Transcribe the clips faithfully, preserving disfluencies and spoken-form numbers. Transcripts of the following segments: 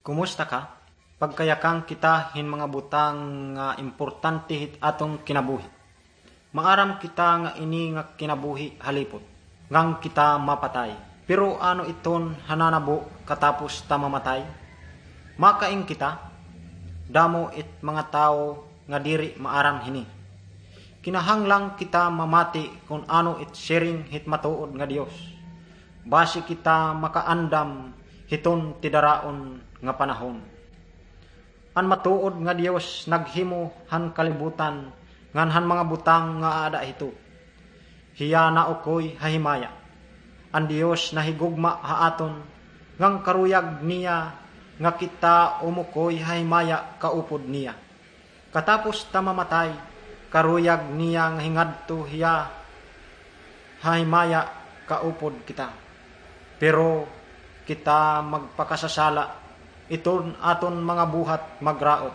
Kumusta ka? Pagkayakan kita hin mga butang nga importante hit aton kinabuhi. Maaram kita nga ini nga kinabuhi halipot, ngan kita mapatay. Pero ano iton ha nanabo katapos ta mamatay? Makain kita? Damo it mga tawo nga diri maaram hini. Kinahanglan kita mamati kon ano it siring hit matuod nga Dios, basi kita makaandam hiton tidaraon nga panahon. An matuod nga Dios naghimo han kalibutan ngan han mga butang nga aada hito. Hiya naukoy ha himaya. An Dios nahigugma ha aton, ngan karuyag niya nga kita umukoy ha himaya kaupod niya. Katapos ta mamatay, karuyag niya nga hingadto hiya ha himaya kaupod kita. Pero kita magpakasasala, iton aton mga buhat magraot.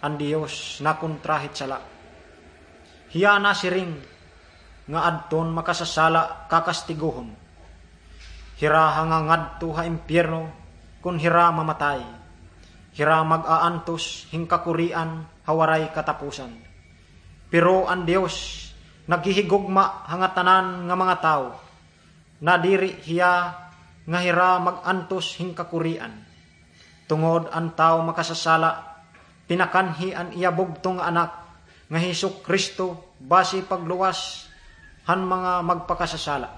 An Dios nakontra hit sala. Hiya nasiring nga adton makasasala kakastigohon. Hira ha nga ngadto ha impyerno kon hira mamatay. Hira mag-aantos hin kakurian ha waray katapusan. Pero an Dios naghihigugma ha ngatanan nga mga tawo. Nadiri hiya nga hira mag-antos hin kakurian. Tungod an tawo makasasala, pinakanhi an iya bugtong nga Anak nga Jesu-Cristo basi pagluwas han mga magpakasasala.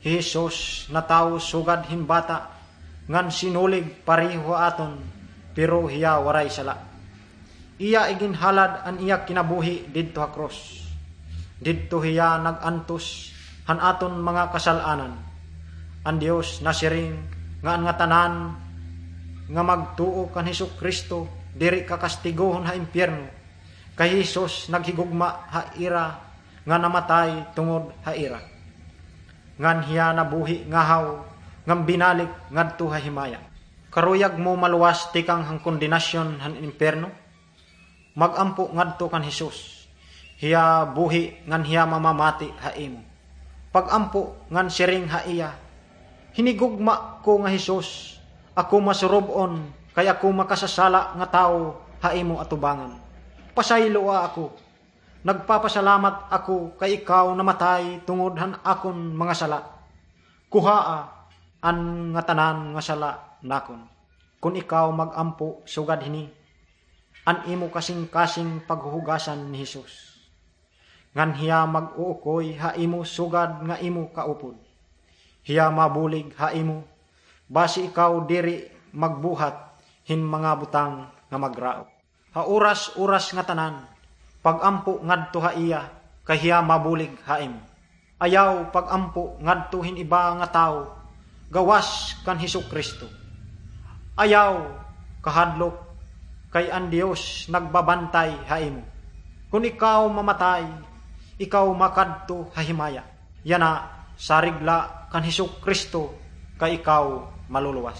Hi Jesus natawo sugad hin bata ngan sinulig pareho ha aton, pero hiya waray sala. Iya iginhalad an iya kinabuhi didto ha krus. Didto hiya nag-antos han aton mga kasal-anan. An Dios nasiring nga an ngatanan nga magtuo kan Jesu-Cristo diri kakastigohon ha impyerno, kay hi Jesus naghigugma ha ira nga namatay tungod ha ira. Ngan hiya nabuhi ngahaw ngan binalik ngadto ha himaya. Karuyag mo maluwas tikang han kondenasyon han impyerno? Mag-ampo ngadto kan Jesus. Hiya buhi ngan hiya mamamati ha imo. Pag-ampo ngan siring ha iya, "Hinigugma ko nga Jesus, ako masurob-on kay ako makasasala nga tawo ha imo atubangan. Pasayloa ako. Nagpapasalamat ako kay ikaw namatay tungod han akon mga sala. Kuhaa an ngatanan nga sala nakon." Kon ikaw mag-ampo sugad hini, an imo kasingkasing paghuhugasan ni Jesus. Ngan hiya mag-uukoy ha imo sugad nga imo kaupod. Hiya mabulig ha imo, basi ikaw diri magbuhat hin mga butang nga magraot. Ha oras-oras ngatanan, pag-ampo ngadto ha iya, kay hiya mabulig ha imo. Ayaw pag-ampo ngadto hin iba nga tawo, gawas kan Jesu-Cristo. Ayaw kahadlok, kay an Dios nagbabantay ha imo. Kon ikaw mamatay, ikaw makadto ha himaya. Yana, sarig la kan Jesu-Cristo, kay ikaw maluluwas.